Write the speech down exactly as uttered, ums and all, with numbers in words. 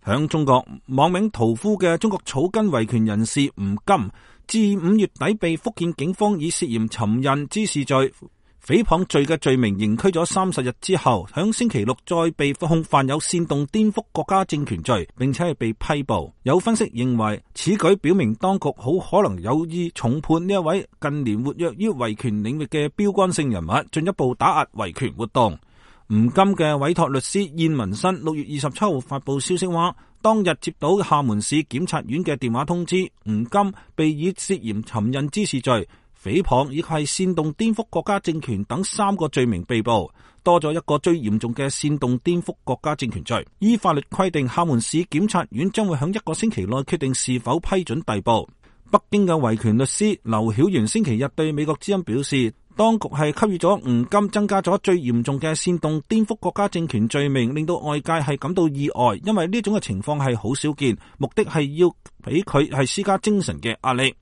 響中國網名屠夫嘅中國草根維權人士吳金，至五月底被福建警方以涉嫌尋釁滋事罪、誹謗罪嘅罪名刑拘咗三十日之後，響星期六再被控犯有煽動顛覆國家政權罪，並且係被批捕。有分析認為，此舉表明當局好可能有意重判呢一位近年活躍於維權領域嘅標杆性人物，進一步打壓維權活動。吳金嘅委託律師燕文新六月二十七號發佈消息話，當日接到廈門市檢察院嘅電話通知，吳金被以涉嫌尋釁滋事罪、誹謗以及係煽動顛覆國家政權等三個罪名被捕，多咗一個最嚴重嘅煽動顛覆國家政權罪。依法律規定，廈門市檢察院將會喺一個星期內決定是否批准逮捕。北京嘅維權律師劉曉元星期日對美國之音表示，當局係給予咗吳金增加咗最嚴重嘅煽動顛覆國家政權罪名，令到外界係感到意外，因為呢種嘅情況係好少見，目的係要俾佢係施加精神嘅壓力。